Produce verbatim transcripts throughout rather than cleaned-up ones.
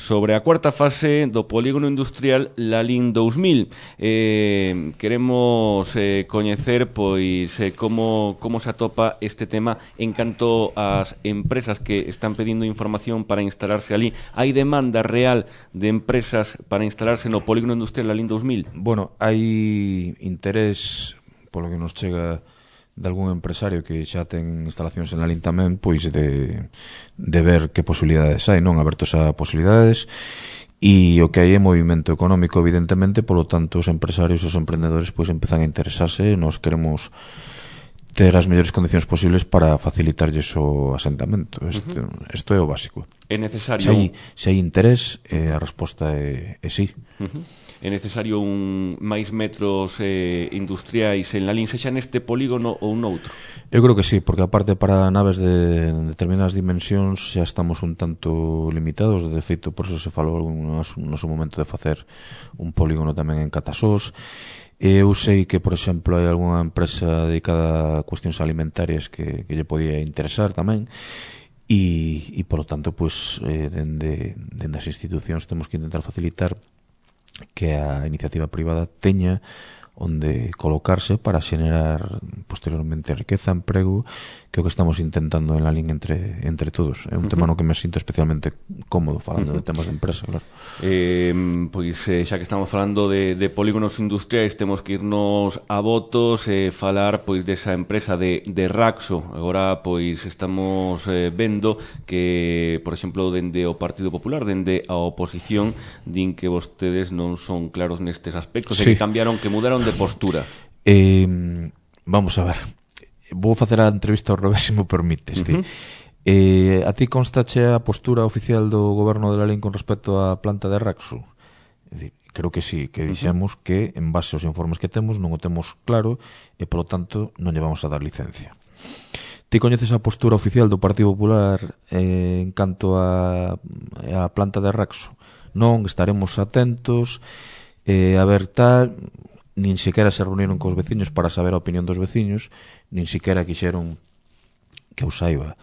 sobre a cuarta fase do polígono industrial Lalín dous mil. Eh, queremos eh, coñecer pois eh, como, como se atopa este tema en canto ás empresas que están pedindo información para instalarse ali. Hai demanda real de empresas para instalarse no polígono industrial Lalín dous mil? Bueno, hai interés, polo que nos chega de algún empresario que xa ten instalacións en Lalín tamén, pois de, de ver que posibilidades hai, non? Abertos a posibilidades, e o que hai é movimento económico, evidentemente, polo tanto os empresarios e os emprendedores pois empezan a interesarse. Nos queremos ter as mellores condicións posibles para facilitarlles o asentamento. Isto uh-huh. é o básico. É necesario... Se hai, se hai interés, eh, a resposta é, é sí. Uh-huh. É necesario un máis metros eh, industriais en Lalín, sexa neste polígono ou noutro? Eu creo que sí, porque aparte para naves de determinadas dimensións xa estamos un tanto limitados. De feito, por eso se falou no noso momento de facer un polígono tamén en Catasós. Eu sei que, por exemplo, hai algunha empresa dedicada a cuestións alimentarias que, que lle podía interesar tamén, e, e polo tanto, pues, eh, dende, dende as institucións temos que intentar facilitar que a iniciativa privada teña onde colocarse para xenerar posteriormente riqueza, emprego, que é o que estamos intentando en Lalín entre, entre todos. É un uh-huh. tema no que me sinto especialmente cómodo falando uh-huh. de temas de empresa, claro. Eh, pois eh, xa que estamos falando de, de polígonos industriais, temos que irnos a votos e eh, falar pois desa empresa de, de Raxo. Agora pois estamos eh, vendo que, por exemplo, dende o Partido Popular, dende a oposición, din que vostedes non son claros nestes aspectos, sí. e que cambiaron, que mudaron de postura. Eh, vamos a ver, vou facer a entrevista ao revés, se me permites. Uh-huh. eh, a ti constache a postura oficial do goberno de Lalín con respecto á planta de Raxo? É dicir, creo que sí, que dixemos uh-huh. que en base aos informes que temos non o temos claro e polo tanto non lle vamos a dar licencia. Ti coñeces a postura oficial do Partido Popular eh, en canto a, a planta de Raxo? Non, estaremos atentos eh, a ver tal. Nin sequera se reunieron cos veciños para saber a opinión dos veciños, nin sequera quixeron, que eu saiba,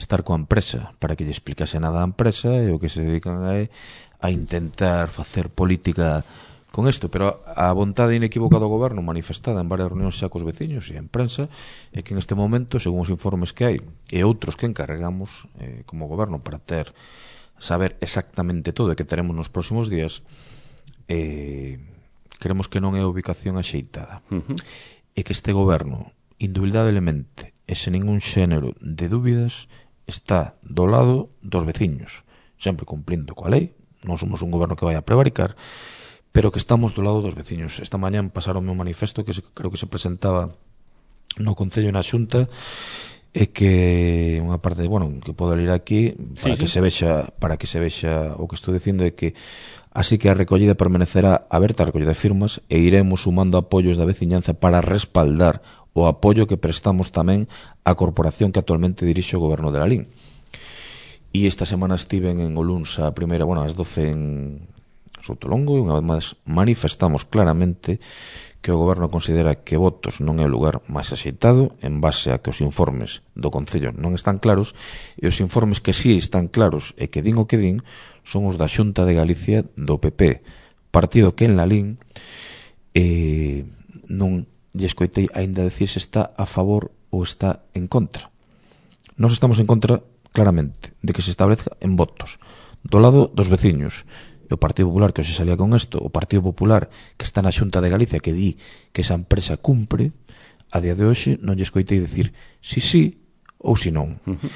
estar coa empresa para que lle explicase nada á empresa, e o que se dedican a, a intentar facer política con isto. Pero a vontade inequívoca do goberno manifestada en varias reunións xa cos veciños e en prensa é que en este momento, según os informes que hai e outros que encarregamos eh, como goberno para ter saber exactamente todo e que teremos nos próximos días, eh, queremos que non é a ubicación axeitada. Uh-huh. E que este goberno, indubidablemente e sen ningún xénero de dúbidas, está do lado dos veciños, sempre cumplindo coa lei. Non somos un goberno que vai a prevaricar, pero que estamos do lado dos veciños. Esta mañán pasaron un manifesto que se, creo que se presentaba no Concello e na Xunta, e que unha parte, bueno, que podo ler aquí para sí, que sí. se vexa, para que se vexa o que estou dicindo, é que así que a recollida permanecerá aberta, a recollida de firmas, e iremos sumando apoios da veciñanza para respaldar o apoio que prestamos tamén á corporación que actualmente dirixe o goberno de Lalín. E esta semana estiven en Oluns a primeira, bueno, ás doce en Soutolongo, e unha vez máis manifestamos claramente que o goberno considera que Votos non é o lugar máis axeitado en base a que os informes do Concello non están claros, e os informes que sí están claros e que din o que din son os da Xunta de Galicia do P P, partido que en Lalín eh, non lle escoitei aínda decir se está a favor ou está en contra. Nós estamos en contra claramente de que se establezca en Votos, do lado dos veciños. E o Partido Popular, que hoxe salía con isto, o Partido Popular que está na Xunta de Galicia, que di que esa empresa cumpre, a día de hoxe non lle escoitei decir si sí ou si non. Uh-huh.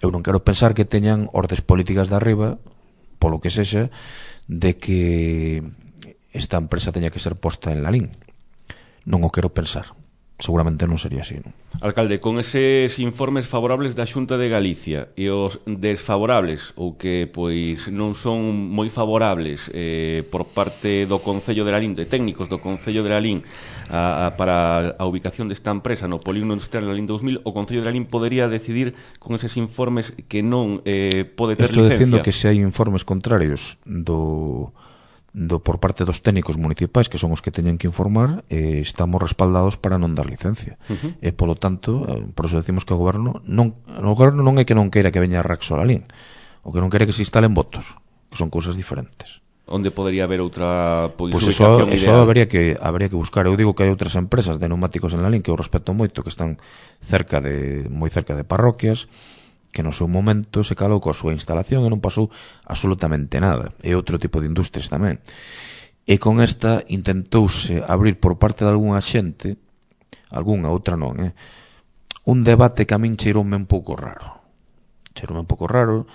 Eu non quero pensar que teñan ordes políticas de arriba, polo que sexa, de que esta empresa teña que ser posta en Lalín. Non o quero pensar. Seguramente non sería así, non? Alcalde, con eses informes favorables da Xunta de Galicia e os desfavorables, ou que pois non son moi favorables eh, por parte do Concello de Lalín, de técnicos do Concello de Lalín, a, a, para a ubicación desta empresa no polígono industrial Lalín dous mil, o Concello de Lalín podería decidir con eses informes que non eh, pode ter Estou licencia. Estou dicindo que se hai informes contrarios do... do por parte dos técnicos municipais, que son os que teñen que informar, eh, estamos respaldados para non dar licencia. Uh-huh. E polo tanto, eh, por eso decimos que o goberno non, o goberno non é que non queira que veña Raxo a Lalín, o que non quere que se instalen Votos. que son cousas diferentes. Onde podría haber outra pois, pois eso, eso habría que habría que buscar. Eu digo que hai outras empresas de neumáticos en Lalín que eu respeto moito, que están cerca de moi cerca de parroquias, que no seu momento se calou coa súa instalación e non pasou absolutamente nada. E outro tipo de industrias tamén. E con esta intentouse abrir por parte de algunha xente, algunha, outra non, eh, un debate que a min cheiroume un pouco raro. Cheiroume un pouco raro.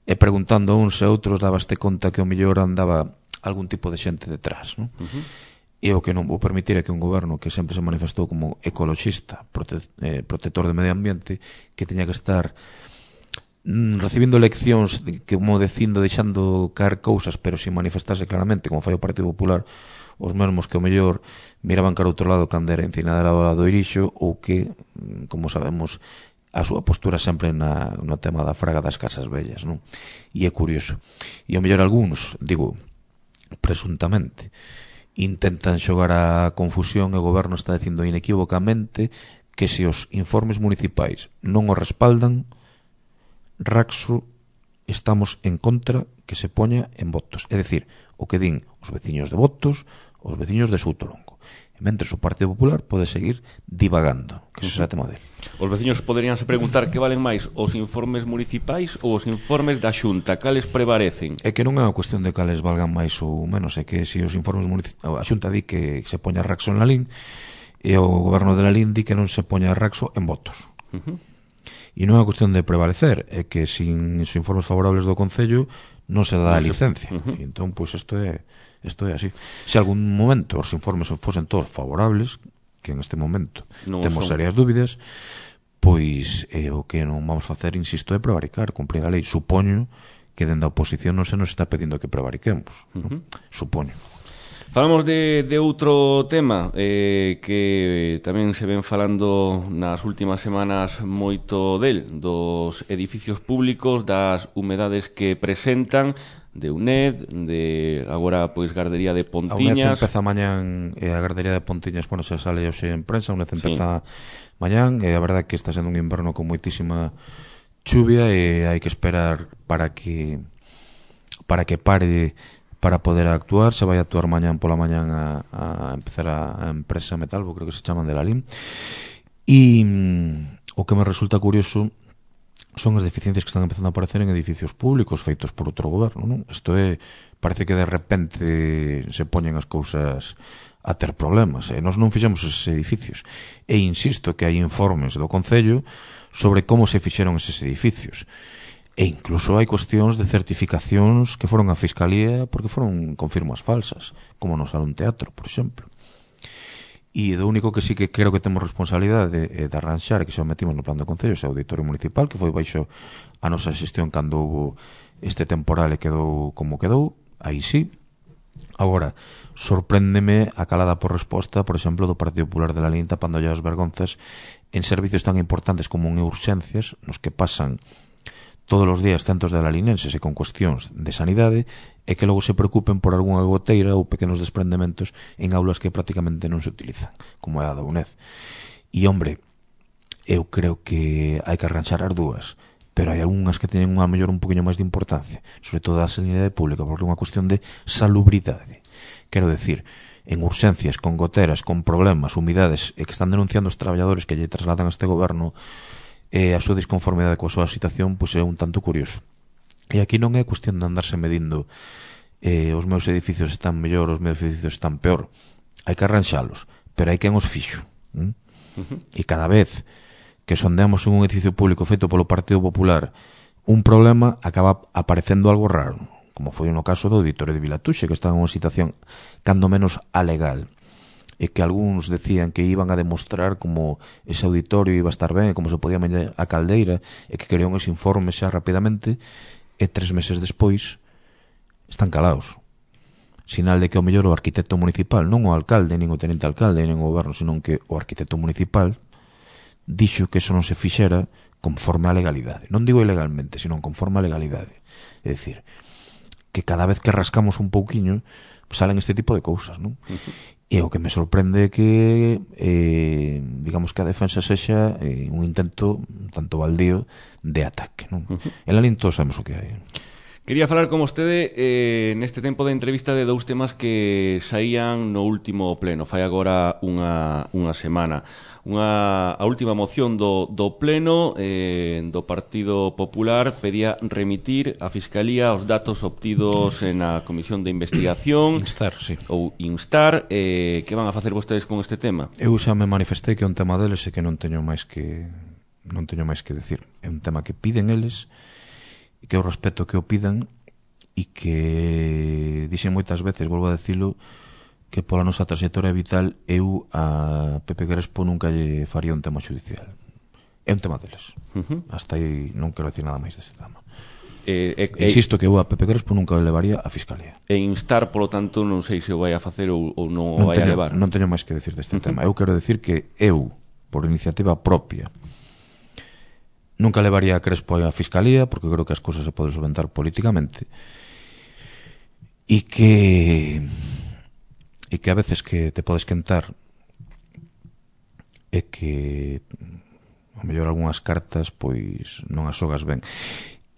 E preguntando a uns e outros dabaste conta que o mellor andaba algún tipo de xente detrás, non? Uh-huh. E o que non vou permitir é que un goberno que sempre se manifestou como ecoloxista, prote eh, protector de medio ambiente, que teña que estar mm, recibindo leccións de, como dicindo, deixando caer cousas, pero sin manifestarse claramente, como fai o Partido Popular, os mesmos que o mellor miraban cara outro lado cando era encinada ao lado do Irixo, ou que, como sabemos, a súa postura sempre na, no tema da fraga das casas vellas, non? E é curioso. E ao mellor algúns, digo, presuntamente, intentan xogar a confusión e o goberno está dicindo inequívocamente que se os informes municipais non o respaldan, Raxo estamos en contra que se poña en votos. É dicir, o que din os veciños de Votos, os veciños de Soutolongo. E mentres o Partido Popular pode seguir divagando, que iso é o tema dele. Os veciños poderíanse preguntar que valen máis os informes municipais ou os informes da Xunta, cales prevalecen? É que non é unha cuestión de cales valgan máis ou menos, é que se os informes municipais, a Xunta di que se poña Raxo en Lalín e o goberno de Lalín di que non se poña Raxo en Votos. Uh-huh. E non é unha cuestión de prevalecer, é que sin os informes favorables do Concello non se dá a licencia. Uh-huh. E entón, pois, isto é isto é así. Se algún momento os informes fosen todos favorables, que en este momento non temos serias dúbidas, pois eh, o que non vamos facer, insisto, é prevaricar, cumprir a lei. Supoño que dende a oposición non se nos está pedindo que prevariquemos. Uh-huh. ¿No? Supoño. Falamos de, de outro tema eh, que tamén se ven falando nas últimas semanas moito del, dos edificios públicos, das humedades que presentan, de U N E D, de agora pois Gardería de Pontiñas. A U N E D empeza mañán e a Gardería de Pontiñas, bueno, se sale hoxe en prensa, a U N E D empeza sí. mañán, e a verdade que está sendo un inverno con moitísima chuvia e hai que esperar para que para que pare para poder actuar. Se vai a actuar mañán pola mañán a, a empezar a, a empresa Metalbo, creo que se chaman de Lalín. E mm, o que me resulta curioso son as deficiencias que están empezando a aparecer en edificios públicos feitos por outro goberno, non? Isto é, parece que de repente se poñen as cousas a ter problemas, e nós non fixemos eses edificios. E insisto que hai informes do Concello sobre como se fixeron eses edificios. E incluso hai cuestións de certificacións que foron a Fiscalía porque foron con firmas falsas, como no Salón Teatro, por exemplo. E do único que sí que creo que temos responsabilidade de, de arranxar, que xa o metimos no plan do Concello, é o Auditorio Municipal, que foi baixo a nosa xestión cando houve este temporal e quedou como quedou, aí sí. Agora, sorpréndeme a calada por resposta, por exemplo, do Partido Popular de Lalín tapando ya as vergonzas en servicios tan importantes como en urxencias, nos que pasan todos os días centos de lalinenses e con cuestións de sanidade, e que logo se preocupen por algunha goteira ou pequenos desprendementos en aulas que prácticamente non se utilizan, como é a da U N E D. E, hombre, eu creo que hai que arranxar as dúas, pero hai algunhas que teñen a mellor un poquinho máis de importancia, sobre todo a sanidade pública, porque é unha cuestión de salubridade. Quero decir, en urxencias, con goteras, con problemas, humidades, e que están denunciando os traballadores que lle trasladan a este goberno e a súa disconformidade coa súa situación, pois é un tanto curioso. E aquí non é cuestión de andarse medindo eh, os meus edificios están mellor, os meus edificios están peor. Hai que arranxalos, pero hai quen os fixo. ¿Mm? Uh-huh. E cada vez que sondeamos en un edificio público feito polo Partido Popular un problema, acaba aparecendo algo raro, como foi no caso do Auditorio de Vilatuxe, que está en unha situación cando menos alegal, e que algúns decían que iban a demostrar como ese auditorio iba a estar ben, como se podía meter a caldeira, e que querían ese informe xa rapidamente, e tres meses despois están calados. Sinal de que o mellor o arquitecto municipal, non o alcalde, nin o tenente alcalde, nin o goberno, senón que o arquitecto municipal dixo que eso non se fixera conforme a legalidade. Non digo ilegalmente, senón conforme a legalidade. É dicir, que cada vez que rascamos un pouquiño salen este tipo de cousas, non? Uh-huh. E o que me sorprende é que eh, digamos que a defensa sexa eh, un intento tanto baldío de ataque, non? Uh-huh. En Lalín todos sabemos o que hai. Quería falar con vostede eh, neste tempo de entrevista de dous temas que saían no último pleno, fai agora unha, unha semana. Unha, a última moción do, do pleno eh, do Partido Popular pedía remitir a Fiscalía os datos obtidos na Comisión de Investigación. Instar, sí. Ou instar. Eh, que van a facer vostedes con este tema? Eu xa me manifestei que é un tema deles e que non teño máis que non teño máis que decir. É un tema que piden eles, que eu respeto que o pidan, e que dixen moitas veces, volvo a decilo, que pola nosa trayectoria vital eu a Pepe Crespo nunca lle faría un tema judicial. É un tema deles. Uh-huh. Hasta aí non quero decir nada máis deste tema. Eh, eh, Insisto que eu a Pepe Crespo nunca o levaría a Fiscalía. E instar, polo tanto, non sei se o vai a facer ou, ou non o non vai teño, a levar. Non teño máis que decir deste uh-huh. tema. Eu quero decir que eu, por iniciativa propia, nunca levaría a Crespo a Fiscalía, porque creo que as cousas se poden solventar políticamente, e que e que a veces que te podes quentar e que ao mellor algunhas cartas pois non as xogas ben,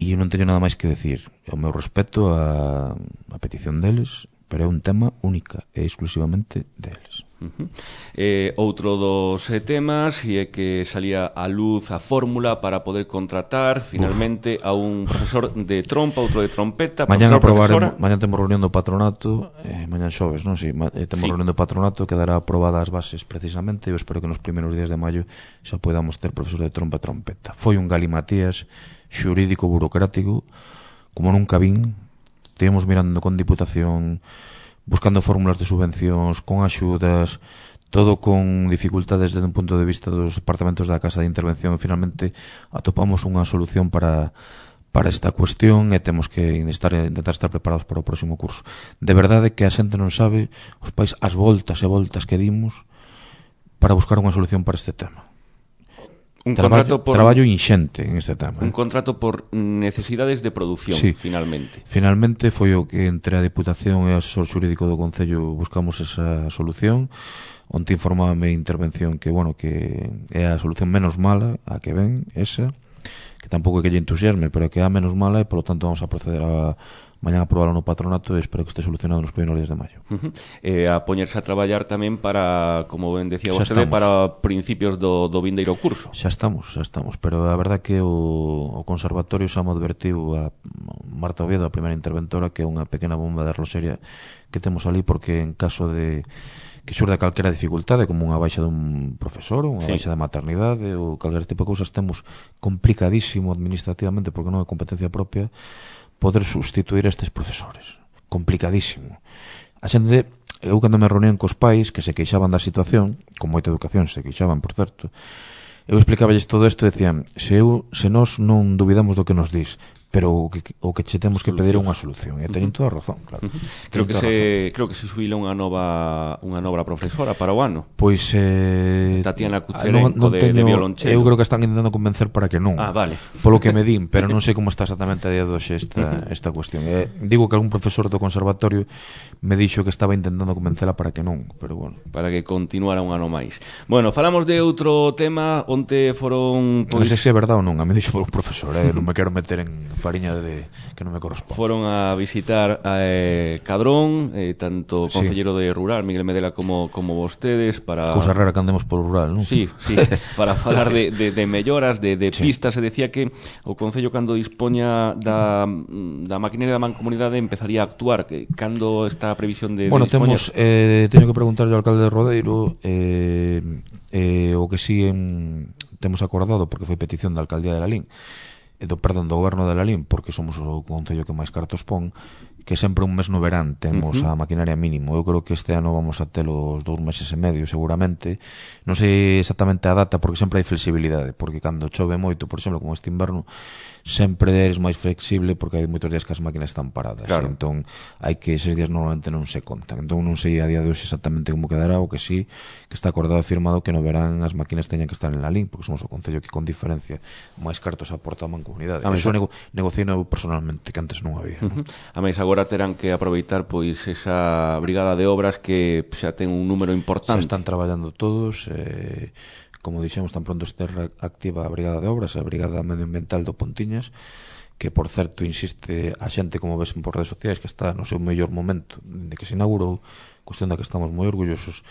e eu non teño nada máis que decir. O meu respeto a, a petición deles, pero é un tema única e exclusivamente deles. Uh-huh. eh, outro dos eh, temas e é que salía a luz a fórmula para poder contratar finalmente Uf. a un profesor de trompa, outro de trompeta. Mañan aprobaremos, mañan temos reunión do patronato, eh, mañan xoves, non? Si, ma, eh, temos sí. reunión do patronato que dará aprobadas as bases precisamente. Eu espero que nos primeiros días de maio xa podamos ter profesor de trompa e trompeta. Foi un galimatías xurídico burocrático como nunca vin. Estivemos mirando con Diputación, buscando fórmulas de subvencións, con axudas, todo con dificultades desde un punto de vista dos departamentos da Casa de Intervención, e finalmente atopamos unha solución para para esta cuestión e temos que estar, intentar estar preparados para o próximo curso. De verdade que a xente non sabe os pais as voltas e voltas que dimos para buscar unha solución para este tema. Un traballo, por, traballo inxente en este tema. Un eh? contrato por necesidades de produción, sí. finalmente. Finalmente foi o que entre a Diputación e o asesor xurídico do Concello buscamos esa solución. Onte informábame intervención que, bueno, que é a solución menos mala a que ven, esa, que tampouco é que lle entusiasme, pero que é a menos mala e, polo tanto, vamos a proceder a mañan a aprobarlo no patronato e espero que este solucionado nos primeiros días de maio. Uh-huh. E a poñerse a traballar tamén para, como ben decía vostede, para principios do, do vindeiro curso. Xa estamos, xa estamos, pero a verdad que o, o Conservatorio xa mo advertiu a Marta Oviedo, a primeira interventora, que é unha pequena bomba de arloxeria que temos ali, porque en caso de que xurde calquera dificultade, como unha baixa dun profesor, unha sí. baixa de maternidade ou calquera tipo de cousas, temos complicadísimo administrativamente, porque non é competencia propia, poder sustituir a estes profesores. Complicadísimo. A xente, eu cando me reunían cos pais que se queixaban da situación, con moita educación se queixaban, por certo, eu explicaballes todo isto e decían, se eu, se nós non duvidamos do que nos dis, pero o que, o que che temos que pedir é unha solución, e teñen toda a razón, claro. Uh-huh. Creo que se creo que se subila unha nova unha nova profesora para o ano. Pois eh Tatiana Cucherenco non, non de, teño, de violonchelo. Eu creo que están intentando convencer para que non. Ah, vale. Polo que me din, pero non sei como está exactamente a día de hoxe esta uh-huh. esta cuestión. Eh, digo que algún profesor do conservatorio me dixo que estaba intentando convencela para que non, pero bueno, para que continuara un ano máis. Bueno, falamos de outro tema onde foron pois... non sei se é verdade ou non, a mí dixo polo profesor, eh, non me quero meter en fariña de que non me corresponde. Foron a visitar a eh, Cadrón, eh, tanto o sí. Concellero de Rural, Miguel Medela, como, como vostedes, para... Cousa rara que andemos por rural, non? Sí, sí, para falar de, de, de melloras, de, de sí. pistas. Se decía que o Concello, cando dispoña da, da maquinaria da mancomunidade, empezaría a actuar. Que, cando está a previsión de, bueno, de dispoñer? Temos, eh, teño que preguntarle ao alcalde de Rodeiro eh, eh, o que si en, temos acordado, porque foi petición da alcaldía de Lalín, do, perdón, do goberno de Lalín, porque somos o concello que máis cartos pon, que sempre un mes no verán temos uh-huh. a maquinaria mínimo. Eu creo que este ano vamos a ter os dous meses e medio seguramente. Non sei exactamente a data, porque sempre hai flexibilidade, porque cando chove moito, por exemplo, como este inverno, sempre eres máis flexible porque hai moitos días que as máquinas están paradas, claro. Entón hai que eses días normalmente non se contan. Entón non sei a día de hoxe exactamente como quedará, o que sí que está acordado e firmado que no verán as máquinas teñan que estar en Lalín, porque somos o concello que con diferencia máis cartos aporta a mancomunidade. Eso nego, negociei eu personalmente, que antes non había. Uh-huh. A máis agora terán que aproveitar pois esa brigada de obras que xa ten un número importante. Xa están traballando todos, eh, como dixemos, tan pronto este activa a brigada de obras, a brigada medioambiental do Pontiñas, que por certo insiste a xente, como ves por redes sociais, que está no seu mellor momento de que se inaugurou, cuestión da que estamos moi orgullosos,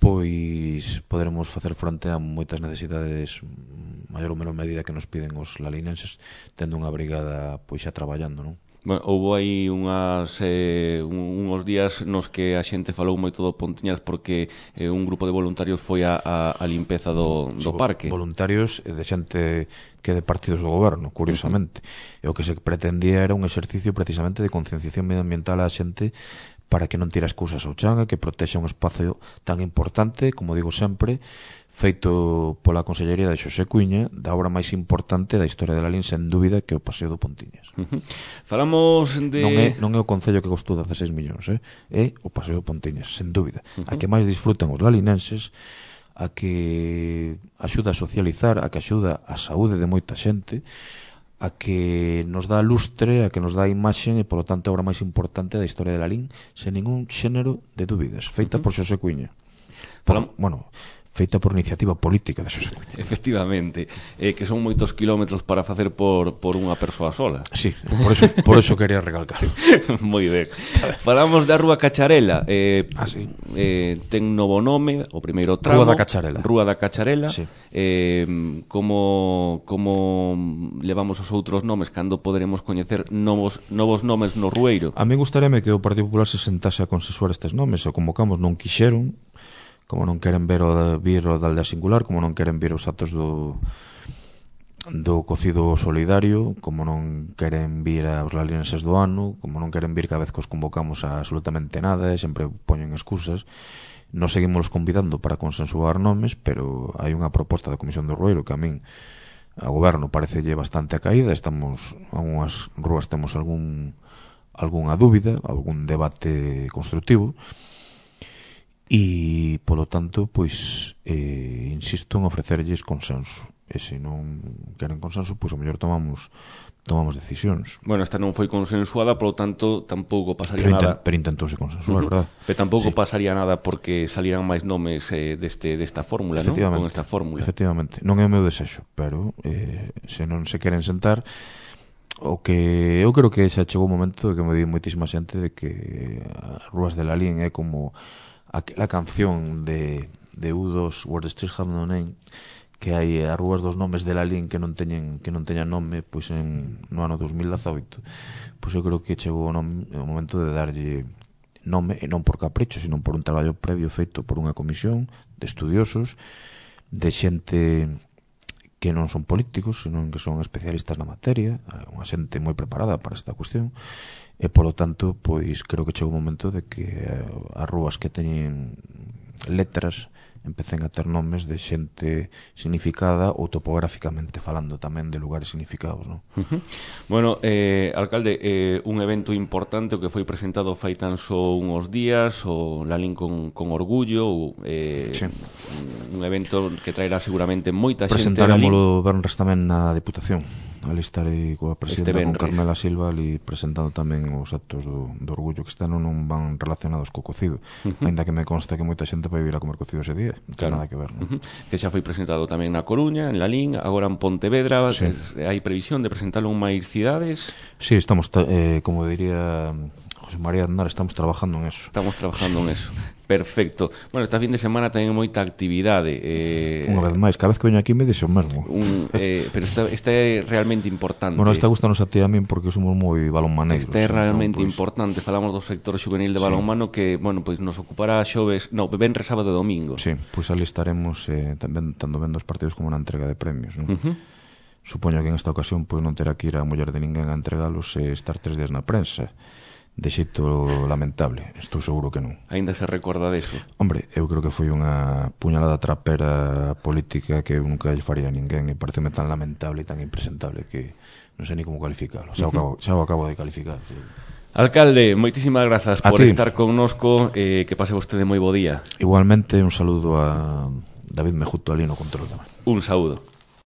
pois poderemos facer fronte a moitas necesidades maior ou menor medida que nos piden os lalinenses, tendo unha brigada pois xa traballando, non? Bueno, houve aí unhas, eh, unhos días nos que a xente falou moito do Pontiñas porque eh, un grupo de voluntarios foi a, a, a limpeza do, do sí, parque. Voluntarios de xente que de partidos do goberno, curiosamente. Uh-huh. E o que se pretendía era un exercicio precisamente de concienciación medioambiental á xente para que non tire as cousas ao chan, que protexa un espacio tan importante, como digo sempre, feito pola Consellería de Xosé Cuíña, da obra máis importante da historia de Lalín, sen dúbida, que é o Paseo do Pontiñas. Uh-huh. Falamos de... Non é, non é o concello que costou dezaseis millóns, eh? É o Paseo do Pontiñas, sen dúbida. Uh-huh. A que máis disfrutan os lalinenses, a que axuda a socializar, a que axuda a saúde de moita xente, a que nos dá lustre, a que nos dá imaxen e, polo tanto, a obra máis importante da historia de Lalín, sen ningún xénero de dúbidas, feita uh-huh. por Xosé Cuíña. Por, Falam... Bueno, feita por iniciativa política de Xosé Cuíña. Efectivamente, eh, que son moitos kilómetros para facer por, por unha persoa sola. Sí, por eso, por eso quería recalcar. Moi ben. Falamos da Rúa Cacharela. Eh, ah, sí. eh, ten novo nome, o primeiro tramo. Rúa da Cacharela. Rúa da Cacharela. Sí. Eh, como, como levamos os outros nomes, cando poderemos coñecer novos, novos nomes no Rueiro? A mí gustaríame que o Partido Popular se sentase a consensuar estes nomes. O convocamos, non quixeron, como non queren ver o, vir o da aldea singular, como non queren vir os actos do do cocido solidario, como non queren vir aos lalinenses do ano, como non queren vir cada vez que os convocamos a absolutamente nada, e sempre poñen excusas. Nos seguimos convidando para consensuar nomes, pero hai unha proposta da Comisión do Rueiro que a min, a goberno, parecelle bastante a caída. Estamos, algunhas rúas temos algún algunha dúbida, algún debate constructivo, e, polo tanto, pois, eh, insisto en ofrecerlles consenso. E se non queren consenso, pois, o mellor tomamos tomamos decisións. Bueno, esta non foi consensuada, polo tanto, tampouco pasaría pero nada. Intent, pero intentouse consensuar, uh-huh. verdad? Pero tampouco sí. pasaría nada porque salieran máis nomes eh, deste, desta fórmula, non? Con esta fórmula. Efectivamente. Non é o meu desexo, pero eh, se non se queren sentar, o que eu creo que xa chegou o momento de que me di moitísima xente de que as Rúas de Lalín é como aquela canción de, de U dos, Where the Streets Have No Name, que hai as rúas dos nomes de Lalín que non teñen que non teñan nome, pois en no ano dos mil dezaoito. Pois eu creo que chegou o, nome, o momento de darlle nome, e non por capricho, sino por un traballo previo feito por unha comisión de estudiosos, de xente que non son políticos, sino que son especialistas na materia, unha xente moi preparada para esta cuestión, e polo tanto, pois creo que chegou o momento de que as rúas que teñen letras empecen a ter nomes de xente significada ou topográficamente falando tamén de lugares significados, non? Uh-huh. Bueno, eh, alcalde, eh, un evento importante o que foi presentado fai tan só uns días, o Lalín con, con orgullo, eh, sí. un evento que traerá seguramente moita xente. Presentaremos o Benres tamén na Deputación. Ali estarei coa presidenta este con Carmela Silva ali presentando tamén os actos do, do orgullo, que están non van relacionados co cocido, uh-huh. ainda que me consta que moita xente vai vir a comer cocido ese día, non ten nada que ver, non? Uh-huh. Que xa foi presentado tamén na Coruña, en Lalín, agora en Pontevedra, sí. que hai previsión de presentalo en máis cidades. Sí, estamos, eh, como diría José María Aznar, estamos trabajando en eso. Estamos trabajando en eso. Perfecto. Bueno, esta fin de semana ten moita actividade. Eh, Unha vez máis, cada vez que veño aquí me dixo o mesmo. Un, eh, pero esta, esta é realmente importante. Bueno, esta gustanos a ti a min porque somos moi balonmaneiros. Esta é realmente entón, pues... importante. Falamos do sector juvenil de balonmano, sí. que, bueno, pois pues nos ocupará xoves, no, venres, sábado e domingo. Sí, pois pues ali estaremos eh, tamén tanto vendo os partidos como na entrega de premios, non? Uh-huh. Supoño que en esta ocasión pois pues, non terá que ir a muller de ninguén a entregalos e estar tres días na prensa. De xeito lamentable, estou seguro que non. Ainda se recorda deso? Hombre, eu creo que foi unha puñalada trapera política que eu nunca lle faría a ninguén, e pareceme tan lamentable e tan impresentable que non sei ni como calificalo. Xa o acabo, xa o acabo de calificar. Sí. Alcalde, moitísimas grazas a por ti. Estar connosco, eh, que pase vostede moi bo día. Igualmente, un saludo a David Mejuto ali no control tamén. Un saúdo.